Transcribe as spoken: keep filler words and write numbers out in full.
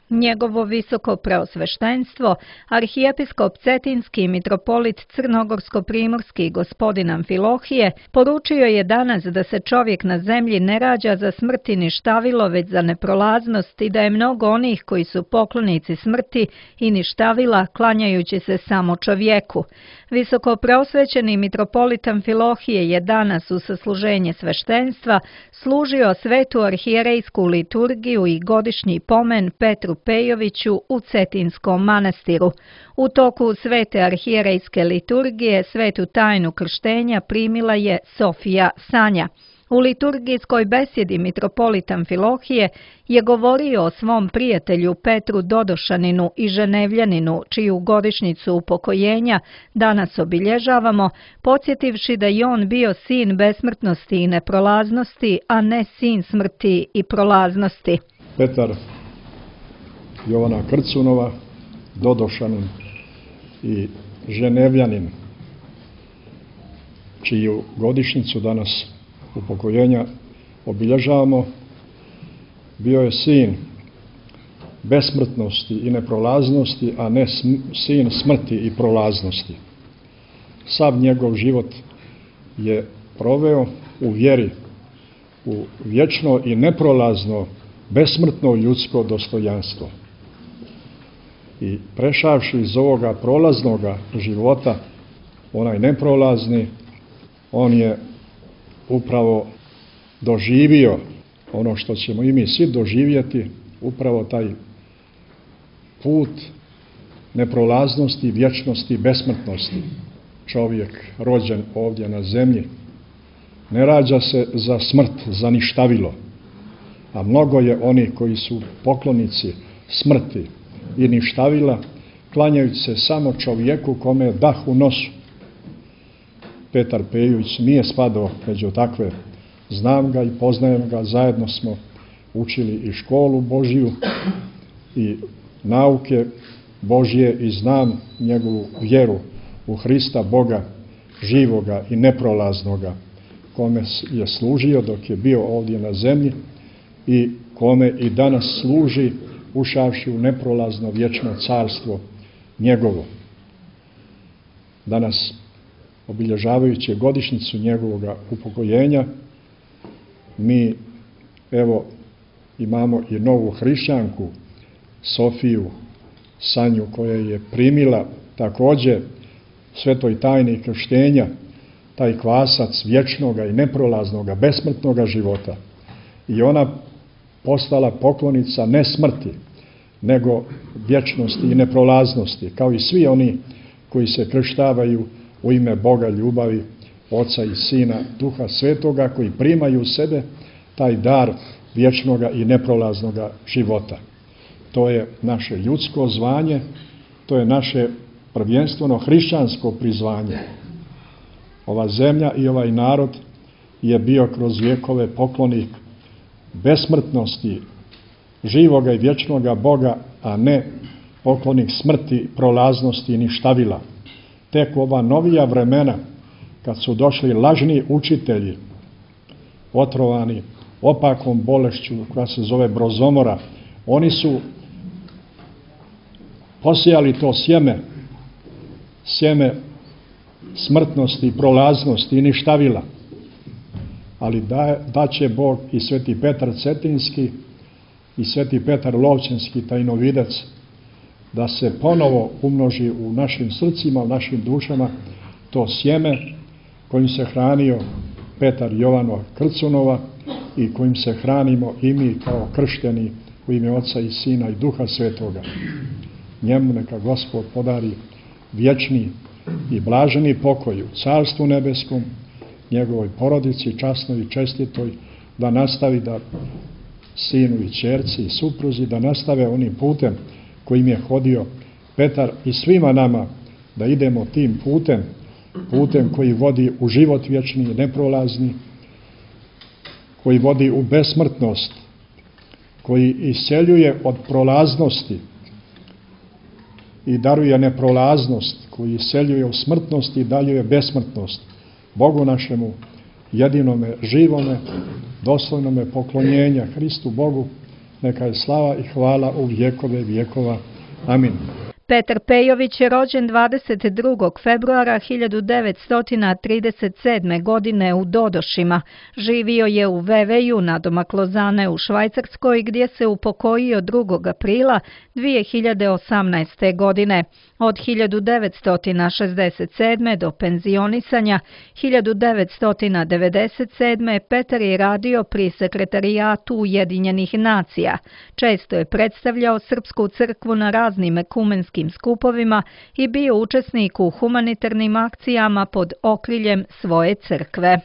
Njegovo visoko preosveštenstvo, arhijepiskop Cetinski i mitropolit Crnogorsko-primorski gospodin Amfilohije, poručio je danas da se čovjek na zemlji ne rađa za smrt i ništavilo, već za neprolaznost i da je mnogo onih koji su poklonici smrti i ništavila, klanjajući se samo čovjeku. Visoko preosvećeni mitropolit Amfilohije je danas u sasluženje sveštenstva služio svetu arhijerejsku liturgiju i godišnji pomen Petru Pejoviću u Cetinskom manastiru. U toku svete arhijerejske liturgije svetu tajnu krštenja primila je Sofija Sanja. U liturgijskoj besjedi mitropolit Amfilohije je govorio o svom prijatelju Petru Dodošaninu i Ženevljaninu, čiju godišnjicu upokojenja danas obilježavamo, podsjetivši da je on bio sin besmrtnosti i neprolaznosti, a ne sin smrti i prolaznosti. Petar Jovana Krcunova, Dodošanin i Ženevljanin, čiju godišnjicu danas upokojenja obilježavamo, bio je sin besmrtnosti i neprolaznosti, a ne sin smrti i prolaznosti. Sav njegov život je proveo u vjeri, u vječno i neprolazno, besmrtno ljudsko dostojanstvo. I prešavši iz ovoga prolaznoga života, onaj neprolazni, on je upravo doživio ono što ćemo i mi svi doživjeti, upravo taj put neprolaznosti, vječnosti, besmrtnosti. Čovjek rođen ovdje na zemlji ne rađa se za smrt, za ništavilo, a mnogo je oni koji su poklonici smrti i ništavila, klanjajući se samo čovjeku kome je dah u nosu. Petar Pejović nije spadao među takve. Znam ga i poznajem ga, zajedno smo učili i školu Božiju i nauke Božje i znam njegovu vjeru u Hrista Boga, živoga i neprolaznoga, kome je služio dok je bio ovdje na zemlji i kome i danas služi, ušavši u neprolazno vječno carstvo njegovo. Danas, obilježavajući godišnjicu njegovog upokojenja, mi evo imamo i novu hrišćanku, Sofiju Sanju, koja je primila također svetoj tajni krštenja, taj kvasac vječnoga i neprolaznoga, besmrtnoga života. I ona postala poklonica ne smrti, nego vječnosti i neprolaznosti, kao i svi oni koji se krštavaju u ime Boga ljubavi, Oca i Sina, Duha Svetoga, koji primaju u sebe taj dar vječnoga i neprolaznoga života. To je naše ljudsko zvanje, to je naše prvenstveno hrišćansko prizvanje. Ova zemlja i ovaj narod je bio kroz vjekove poklonik besmrtnosti, živoga i vječnoga Boga, a ne poklonik smrti, prolaznosti i ništavila. Tek u ova novija vremena, kad su došli lažni učitelji, otrovani opakom bolešću koja se zove brozomora, oni su posijali to sjeme, sjeme smrtnosti, prolaznosti i ništavila. Ali da, da će Bog i sveti Petar Cetinski i sveti Petar Lovćenski, tajnovidac, da se ponovo umnoži u našim srcima, u našim dušama, to sjeme kojim se hranio Petar Jovanova Krcunova i kojim se hranimo i mi kao kršteni u ime Oca i Sina i Duha Svetoga. Njemu neka Gospod podari vječni i blaženi pokoj u Carstvu nebeskom, njegovoj porodici, časnoj i čestitoj, da nastavi da sinu i ćerci i supruzi, da nastave onim putem kojim je hodio Petar i svima nama, da idemo tim putem, putem koji vodi u život vječni i neprolazni, koji vodi u besmrtnost, koji isceljuje od prolaznosti i daruje neprolaznost, koji isceljuje u smrtnost i daljuje besmrtnost. Bogu našemu, jedinome, živome, dostojnome poklonjenja, Hristu Bogu, neka je slava i hvala u vjekove vjekova. Amin. Petar Pejović je rođen dvadeset drugog februara hiljadu devetsto trideset sedme. godine u Dodošima. Živio je u Veveju nadomak Lozane u Švajcarskoj, gdje se upokojio drugog aprila dvije hiljade osamnaeste. godine. Od hiljadu devetsto šezdeset sedme. do penzionisanja hiljadu devetsto devedeset sedme. Petar je radio pri Sekretarijatu Ujedinjenih nacija. Često je predstavljao Srpsku crkvu na raznim ekumenskim skupovima i bio učesnik u humanitarnim akcijama pod okriljem svoje crkve.